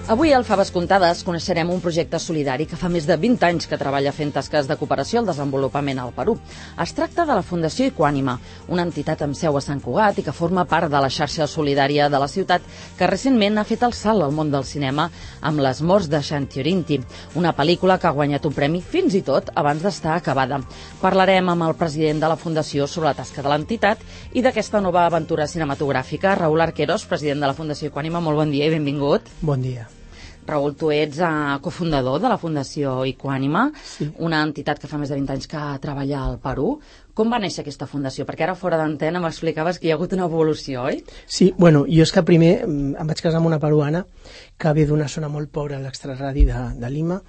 Avui al Faves Comptades coneixerem un projecte solidari que fa més de 20 anys que treballa fent tasques de cooperació al desenvolupament al Perú. Es tracta de la Fundació Equànima, una entitat amb seu a Sant Cugat i que forma part de la xarxa solidària de la ciutat que recentment ha fet el salt al món del cinema amb Les morts de Xantiorinti, una pel·lícula que ha guanyat un premi fins i tot abans d'estar acabada. Parlarem amb el president de la Fundació sobre la tasca de l'entitat i d'aquesta nova aventura cinematogràfica. Raül Arqueros, president de la Fundació Equànima, molt bon dia i benvingut. Bon dia. Raül, tu ets cofundador de la Fundació Equànima, sí, una entitat que fa més de 20 anys que treballa al Perú. Com va néixer aquesta fundació? Perquè ara fora d'antena m'explicaves que hi ha hagut una evolució, oi? Sí, bueno, jo és que primer em vaig casar amb una peruana que ve d'una zona molt pobra a l'extraradi de Lima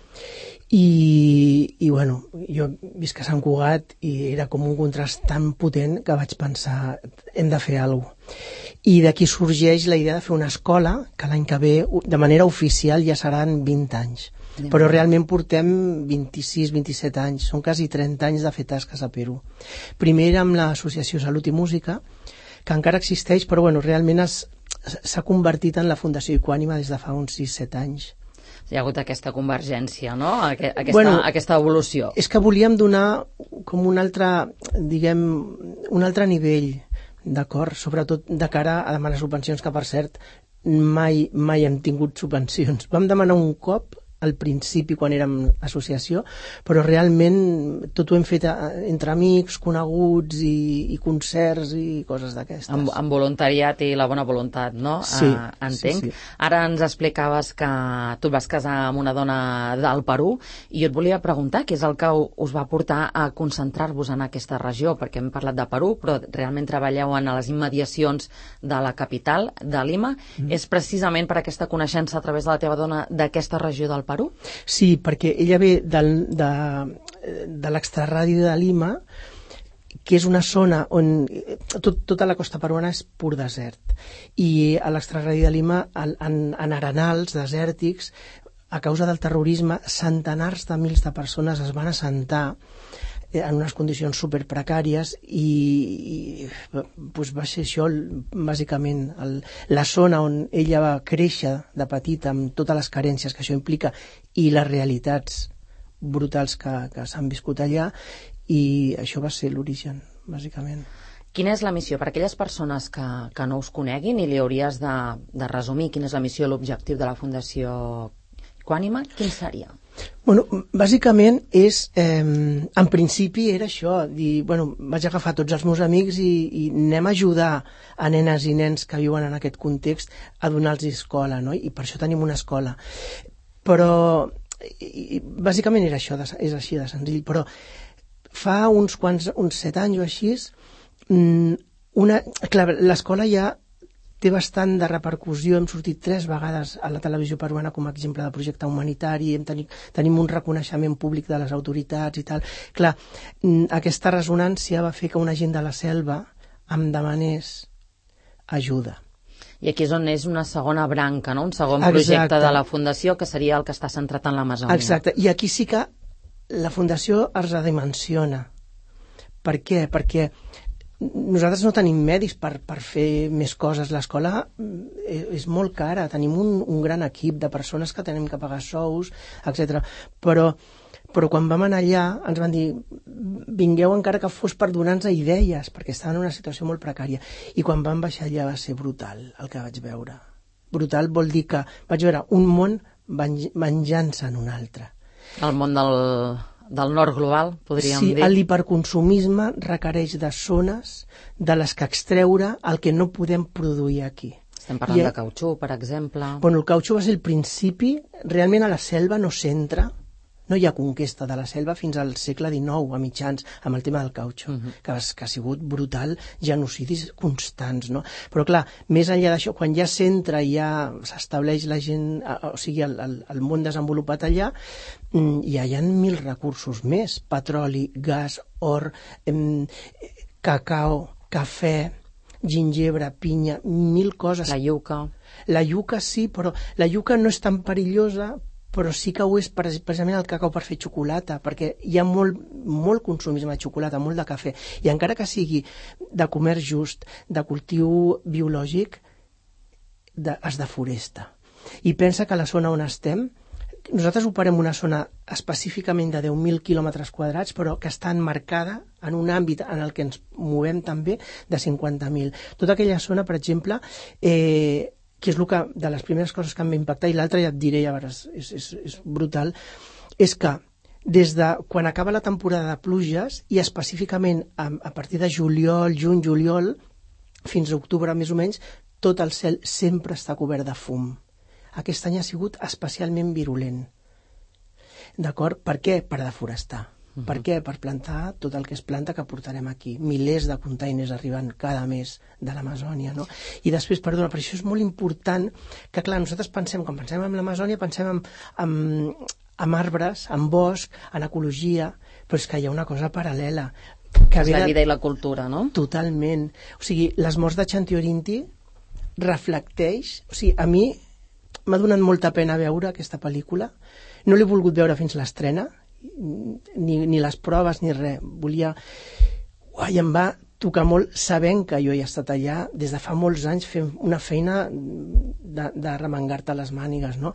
i bueno, jo visc a Sant Cugat i era com un contrast tan potent que vaig pensar hem de fer alguna cosa. I d'aquí sorgeix la idea de fer una escola que l'any que ve, de manera oficial, ja seran 20 anys. Però realment portem 26-27 anys, són quasi 30 anys de fer tasques a Perú. Primer amb l'Associació Salut i Música, que encara existeix, però bueno, realment s'ha convertit en la Fundació Equànima des de fa uns 6-7 anys. Hi ha hagut aquesta convergència, no? Aquesta evolució. És que volíem donar com un altre, diguem, un altre nivell, d'acord? Sobretot de cara a demanar subvencions, que per cert mai hem tingut subvencions. Vam demanar un cop al principi quan érem associació, però realment tot ho hem fet entre amics, coneguts i concerts i coses d'aquestes. Amb voluntariat i la bona voluntat, no? Sí. Entenc. Sí. Ara ens explicaves que tu et vas casar amb una dona del Perú i jo et volia preguntar què és el que us va portar a concentrar-vos en aquesta regió, perquè hem parlat de Perú, però realment treballeu a les immediacions de la capital, de Lima. És precisament per aquesta coneixença a través de la teva dona d'aquesta regió del Perú? Sí, perquè ella ve de l'extraradi de Lima, que és una zona on tota la costa peruana és pur desert. I a l'extraradi de Lima, en arenals desèrtics, a causa del terrorisme, centenars de mils de persones es van assentar en unes condicions superprecàries i doncs va ser això bàsicament la zona on ella va créixer de petita amb totes les carències que això implica i les realitats brutals que s'han viscut allà, i això va ser l'origen, bàsicament. Quina és la missió? Per aquelles persones que no us coneguin i li hauries de resumir quina és la missió i l'objectiu de la Fundació Equànima, quin seria? Bueno, bàsicament és, en principi era això, dir, bueno, vaig agafar tots els meus amics i anem a ajudar a nenes i nens que viuen en aquest context a donar-los escola, no? I per això tenim una escola. Però, bàsicament era això, és així de senzill, però fa uns 7 anys o així, clar, l'escola ja té bastant de repercussió, hem sortit 3 vegades a la televisió peruana com a exemple de projecte humanitari, tenim un reconeixement públic de les autoritats i tal. Clar, aquesta ressonància va fer que una gent de la selva em demanés ajuda. I aquí és on és una segona branca, no? Un segon projecte de la Fundació, que seria el que està centrat en l'Amazònia. Exacte, i aquí sí que la Fundació es redimensiona. Per què? Perquè nosaltres no tenim medis per fer més coses. L'escola és molt cara, tenim un gran equip de persones que tenim que pagar sous, etc. Però quan vam anar allà ens van dir vingueu encara que fos per donar-nos idees, perquè estaven en una situació molt precària. I quan vam baixar allà va ser brutal el que vaig veure. Brutal vol dir que vaig veure un món menjant-se en un altre. El món del nord global, podríem dir. Sí, l'hiperconsumisme requereix de zones de les que extreure el que no podem produir aquí. Estem parlant de cautxú, per exemple. Bueno, el cautxú va ser el principi. Realment a la selva no s'entra, no hi ha conquesta de la selva fins al segle XIX, a mitjans, amb el tema del cautxú, que ha sigut brutal, genocidis constants, no? Però clar, més enllà d'això, quan ja s'entra i ja s'estableix la gent, o sigui, el món desenvolupat allà, ja hi ha 1.000 recursos més: petroli, gas, or, cacao, cafè, gingebre, pinya, 1.000 coses. La iuca. La iuca sí, però la iuca no és tan perillosa, però sí que ho és precisament el cacau per fer xocolata, perquè hi ha molt consumisme de xocolata, molt de cafè, i encara que sigui de comerç just, de cultiu biològic, es deforesta. I pensa que la zona on estem, nosaltres operem una zona específicament de 10.000 quilòmetres quadrats, però que està enmarcada en un àmbit en el que ens movem també de 50.000. Tota aquella zona, per exemple, que és de les primeres coses que em va impactar, i l'altra ja et diré, ja veuràs, és brutal, és que des de quan acaba la temporada de pluges, i específicament a partir de juliol, juny-juliol, fins a octubre més o menys, tot el cel sempre està cobert de fum. Aquest any ha sigut especialment virulent. D'acord? Per què? Per deforestar. Per què? Per plantar tot el que es planta que portarem aquí. Milers de containers arriben cada mes de l'Amazònia, no? I després, perdona, per això és molt important que, clar, nosaltres pensem, quan pensem en l'Amazònia, pensem en arbres, en bosc, en ecologia, però és que hi ha una cosa paral·lela. És la vida i la cultura, no? Totalment. O sigui, les morts de Xantiorinti reflecteix... O sigui, a mi m'ha donat molta pena veure aquesta pel·lícula. No l'he volgut veure fins l'estrena, ni les proves ni res. Volia... Uai, em va tocar molt sabent que jo he estat allà des de fa molts anys fent una feina de remengar-te les mànigues, no?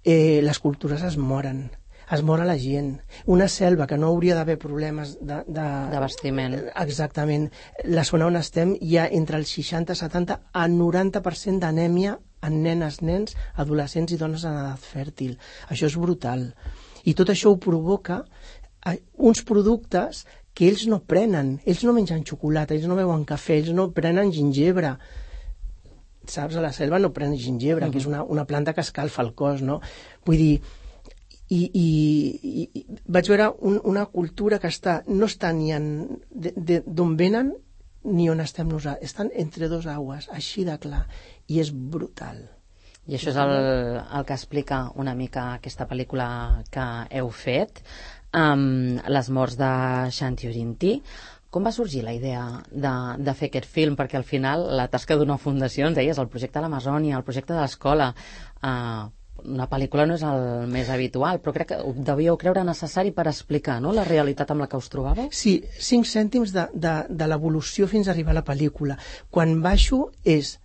Les cultures es moren. Es mor la gent. Una selva que no hauria d'haver problemes d'abastiment. Exactament. La zona on estem hi ha entre el 60, 70 a 90% d'anèmia en nenes, nens, adolescents i dones en edat fèrtil. Això és brutal. I tot això ho provoca uns productes que ells no prenen. Ells no mengen xocolata, ells no beuen cafè, ells no prenen gingebre. Saps? A la selva no prenen gingebre, que és una planta que escalfa el cos, no? Vull dir, i vaig veure una cultura que no està ni d'on venen ni on estem nosaltres. Estan entre dos aigües, així de clar. I és brutal. I això és el que explica una mica aquesta pel·lícula que heu fet, Les morts de Xantiorinti. Com va sorgir la idea de fer aquest film? Perquè al final la tasca d'una fundació, ens deies, el projecte de l'Amazònia, el projecte de l'escola, una pel·lícula no és el més habitual, però crec que ho devíeu creure necessari per explicar, no?, la realitat amb la que us trobàveu. Sí, 5 cèntims de l'evolució fins a arribar a la pel·lícula. Quan baixo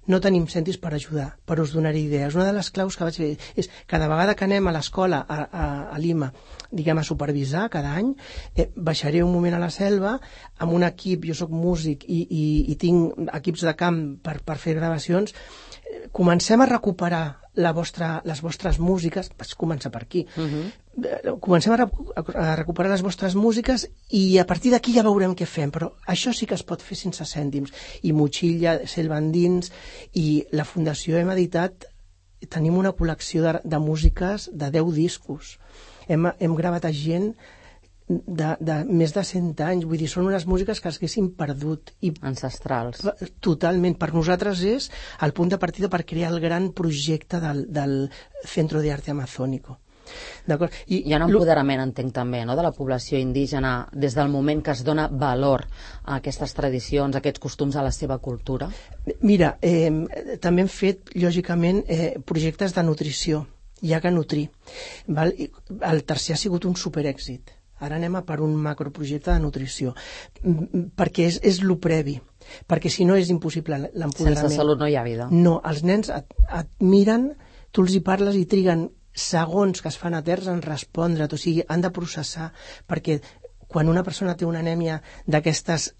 no tenim cèntims per ajudar, però us donaré idees. Una de les claus que vaig fer és cada vegada que anem a l'escola a Lima, diguem, a supervisar cada any, baixaré un moment a la selva amb un equip, jo sóc músic i tinc equips de camp per fer gravacions. Comencem a recuperar les vostres músiques, vaig començar per aquí, comencem a recuperar les vostres músiques i a partir d'aquí ja veurem què fem, però això sí que es pot fer sense cèntims. I motxilla, selva endins, i la Fundació hem editat, tenim una col·lecció de músiques de 10 discos. Hem gravat a gent de més de 100 anys, vull dir, són unes músiques que s'haguessin perdut. Ancestrals. Totalment. Per nosaltres és el punt de partida per crear el gran projecte del Centro de Arte Amazónico. D'acord? Hi ha un empoderament, entenc, també, no?, de la població indígena des del moment que es dona valor a aquestes tradicions, a aquests costums, a la seva cultura? Mira, també hem fet, lògicament, projectes de nutrició. Hi ha que nutrir. El tercer ha sigut un superèxit. Ara anem a per un macroprojecte de nutrició, perquè és lo previ, perquè si no és impossible l'empoderament. Sense salut no hi ha vida. No, els nens et miren, tu els hi parles i triguen segons que es fan eterns en respondre't, o sigui, han de processar, perquè quan una persona té una anèmia d'aquestes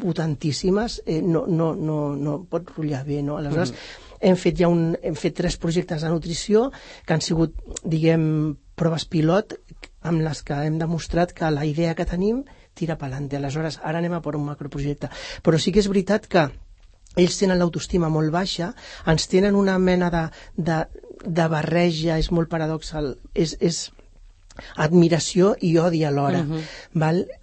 potentíssimes, no pot rotllar bé, no? Aleshores, hem fet 3 projectes de nutrició que han sigut, diguem, proves pilot amb les que hem demostrat que la idea que tenim tira pelante. Aleshores, ara anem a per un macroprojecte. Però sí que és veritat que ells tenen l'autoestima molt baixa, ens tenen una mena de barreja, és molt paradoxal, és admiració i odi alhora.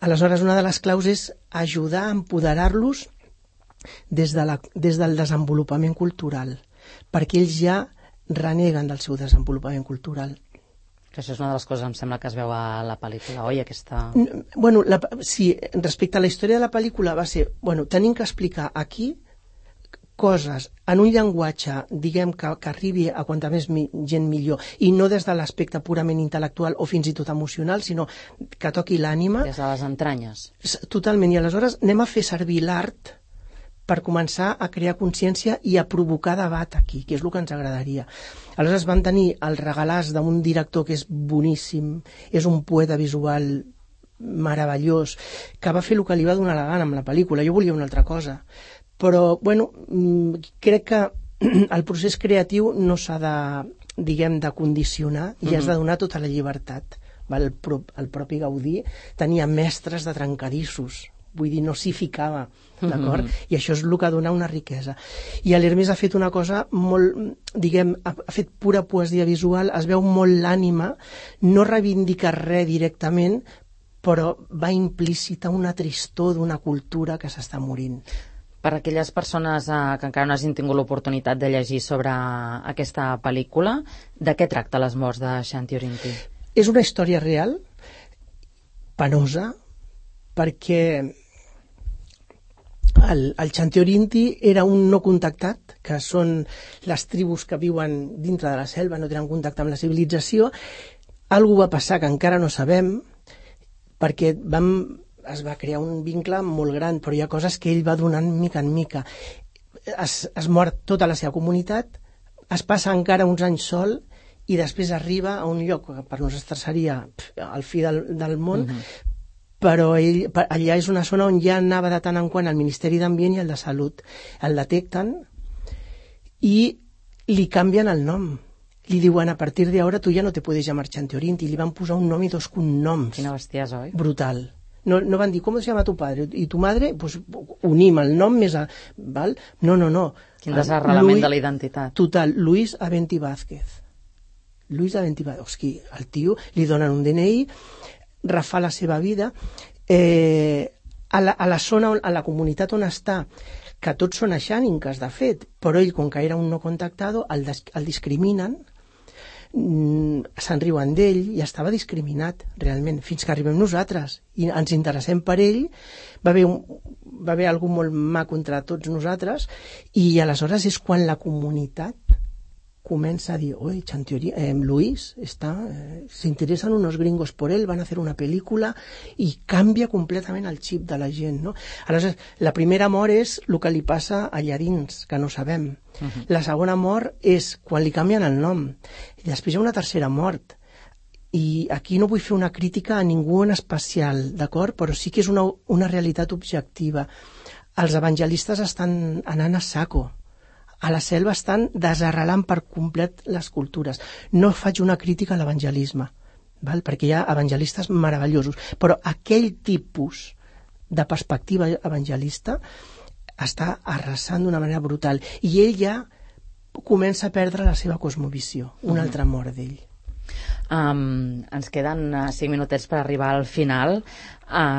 Aleshores, una de les claus és ajudar a empoderar-los des del desenvolupament cultural, perquè ells ja reneguen del seu desenvolupament cultural. Que això és una de les coses, em sembla, que es veu a la pel·lícula, oi? Bueno, sí, respecte a la història de la pel·lícula va ser, tenim que explicar aquí coses en un llenguatge, diguem, que arribi a quanta més gent millor, i no des de l'aspecte purament intel·lectual o fins i tot emocional, sinó que toqui l'ànima. Des de les entranyes. Totalment, i aleshores anem a fer servir l'art per començar a crear consciència i a provocar debat aquí, que és el que ens agradaria. Aleshores vam tenir el regalàs d'un director que és boníssim, és un poeta visual meravellós, que va fer el que li va donar la gana amb la pel·lícula. Jo volia una altra cosa. Però, bueno, crec que el procés creatiu no s'ha de, diguem, de condicionar i has de donar tota la llibertat. El propi Gaudí tenia mestres de trencadissos, vull dir, no s'hi ficava, d'acord? I això és el que dona una riquesa. I l'Hermès ha fet una cosa molt, diguem, ha fet pura poesia visual, es veu molt l'ànima, no reivindica res directament, però va implícita una tristor d'una cultura que s'està morint. Per a aquelles persones que encara no hagin tingut l'oportunitat de llegir sobre aquesta pel·lícula, de què tracta Les morts de Shanti Orinti? És una història real, penosa, perquè el Shanti Orinti era un no contactat, que són les tribus que viuen dintre de la selva, no tenen contacte amb la civilització. Algú va passar que encara no sabem, perquè es va crear un vincle molt gran, però hi ha coses que ell va donant mica en mica. Es mor tota la seva comunitat, es passa encara uns anys sol i després arriba a un lloc que per nosaltres seria al fi del món, però allà és una zona on ja anava de tant en quant el Ministeri d'Ambient i el de Salut. El detecten i li canvien el nom. Li diuen, a partir de ahora tu ja no te puedes llamar Shanti Orinti. Li van posar un nom i 2 cognoms. Quina bestiesa, oi? Brutal. No van dir, ¿cómo se llama tu padre? ¿Y tu madre? Pues unim el nom més a... Val? No. Quin desarrelament de la identitat. Total, Luis Aventi Vázquez. Luis Aventi Vázquez. Hosti, el tio li donen un DNI, refà la seva vida. A la zona, a la comunitat on està, que tots són aixàninques, de fet, però ell, com que era un no contactado, el discriminen, se'n riuen d'ell i estava discriminat realment, fins que arribem nosaltres i ens interessem per ell. Va haver algú molt maco entre tots nosaltres i aleshores és quan la comunitat comença a dir, oye, Luis se interesan unos gringos por él, van a hacer una película, i canvia completament el xip de la gent, no? Aleshores, la primera mort és el que li passa allà dins, que no sabem. La segona mort és quan li canvien el nom. I després hi ha una tercera mort. I aquí no vull fer una crítica a ningú en especial, d'acord? Però sí que és una realitat objectiva. Els evangelistes estan anant a saco. A la selva estan desarrelant per complet les cultures. No faig una crítica a l'evangelisme, perquè hi ha evangelistes meravellosos, però aquell tipus de perspectiva evangelista està arrasant d'una manera brutal. I ell ja comença a perdre la seva cosmovisió, una altra mort d'ell. Ens queden 5 minutets per arribar al final.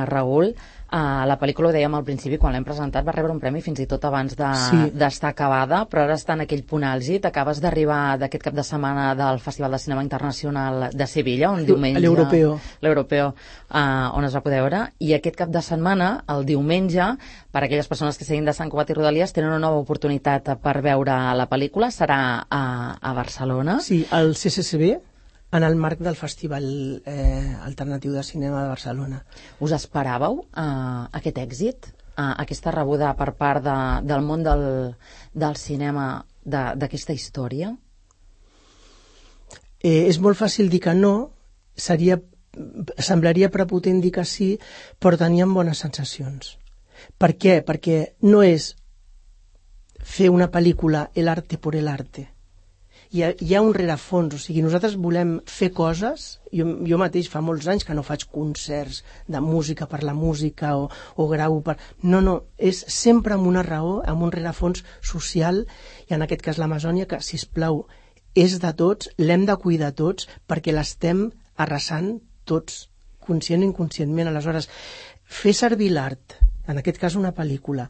Raül, la pel·lícula, ho dèiem al principi, quan l'hem presentat va rebre un premi fins i tot abans d'estar acabada, però ara està en aquell punt àlgid. Acabes d'arribar d'aquest cap de setmana del Festival de Cinema Internacional de Sevilla, un diumenge... L'Europeo, on es va poder veure, i aquest cap de setmana, el diumenge, per a aquelles persones que seguin de Sant Cugat i Rodalies, tenen una nova oportunitat per veure la pel·lícula. Serà a Barcelona. Sí, al CCCB, en el marc del Festival Alternatiu de Cinema de Barcelona. Us esperàveu aquest èxit, aquesta rebuda per part del món del cinema d'aquesta història? És molt fàcil dir que no, semblaria prepotent dir que sí, però teníem bones sensacions. Per què? Perquè no és fer una pel·lícula el arte por el arte. Hi ha un rerefons, o sigui, nosaltres volem fer coses, jo mateix fa molts anys que no faig concerts de música per la música o grau per... No, és sempre amb una raó, amb un rerefons social, i en aquest cas l'Amazònia, que, sisplau, és de tots, l'hem de cuidar tots, perquè l'estem arrasant tots, conscient o inconscientment. Aleshores, fer servir l'art, en aquest cas una pel·lícula,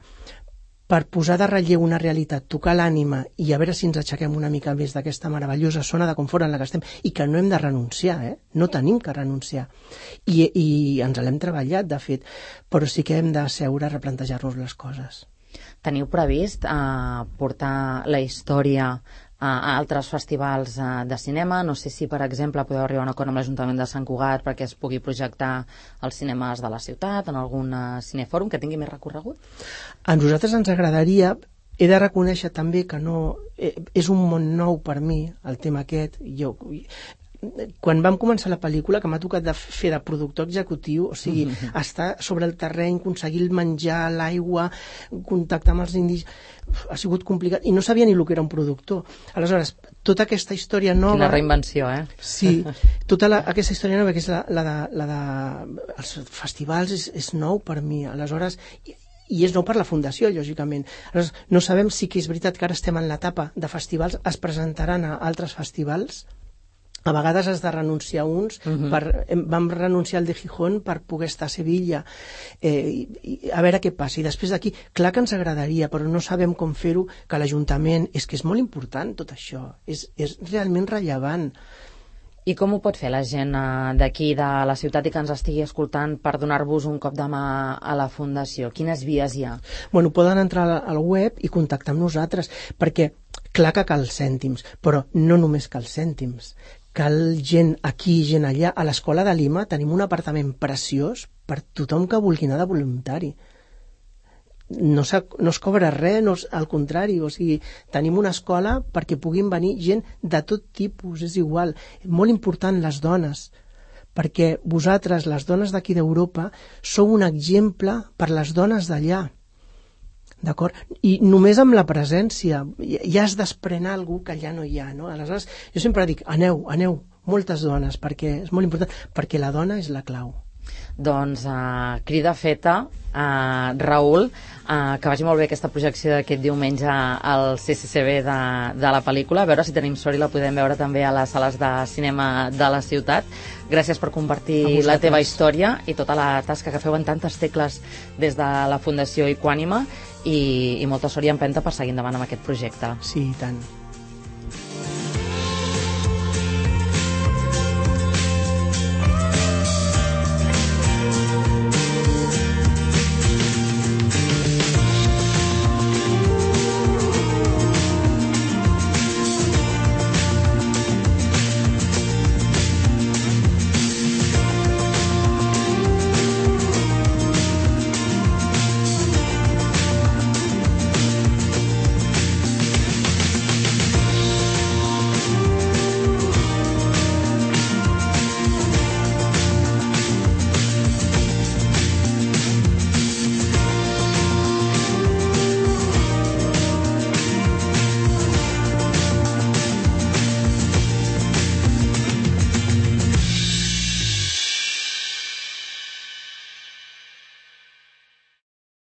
per posar de relleu una realitat, tocar l'ànima i a veure si ens aixequem una mica més d'aquesta meravellosa zona de confort en la que estem, i que no hem de renunciar, no tenim que renunciar. I ens l'hem treballat, de fet, però sí que hem de seure a replantejar-nos les coses. Teniu previst portar la història a altres festivals de cinema. No sé si, per exemple, podeu arribar a un acord amb l'Ajuntament de Sant Cugat perquè es pugui projectar als cinemes de la ciutat, en algun cinefòrum que tingui més recorregut. A nosaltres ens agradaria. He de reconèixer també que no és un món nou per mi, el tema aquest. Quan vam començar la pel·lícula, que m'ha tocat de fer de productor executiu, o sigui, estar sobre el terreny, aconseguir el menjar, l'aigua, contactar amb els indis, ha sigut complicat, i no sabia ni el que era un productor. Aleshores, tota aquesta història nova... Quina reinvenció, eh? Sí, tota aquesta història nova, que és la de els festivals, és nou per mi. Aleshores, i és nou per la Fundació, lògicament. Aleshores, no sabem si que és veritat que ara estem en l'etapa de festivals, es presentaran a altres festivals. A vegades has de renunciar a uns. Vam renunciar al de Gijón per poder estar a Sevilla. A veure què passa. I després d'aquí, clar que ens agradaria, però no sabem com fer-ho, que l'Ajuntament... És que és molt important tot això. És realment rellevant. I com ho pot fer la gent d'aquí, de la ciutat, i que ens estigui escoltant per donar-vos un cop de mà a la Fundació? Quines vies hi ha? Bueno, poden entrar al web i contactar amb nosaltres, perquè clar que cal cèntims, però no només cal cèntims. Cal gent aquí, gent allà. A l'Escola de Lima tenim un apartament preciós per tothom que vulgui anar de voluntari. No es cobra res, al contrari, o sigui, tenim una escola perquè puguin venir gent de tot tipus, és igual. Molt important les dones, perquè vosaltres, les dones d'aquí d'Europa, sou un exemple per les dones d'allà. D'acord? I només amb la presència ja es desprèn algú que allà no hi ha, no? Aleshores, jo sempre dic, aneu, moltes dones, perquè és molt important, perquè la dona és la clau. Doncs crida feta, Raül, que vagi molt bé aquesta projecció d'aquest diumenge al CCCB de la pel·lícula, a veure si tenim sort i la podem veure també a les sales de cinema de la ciutat. Gràcies per compartir la teva història i tota la tasca que feu en tantes tecles des de la Fundació Equànime, i molta sort i empenta per seguir endavant amb aquest projecte. Sí, i tant.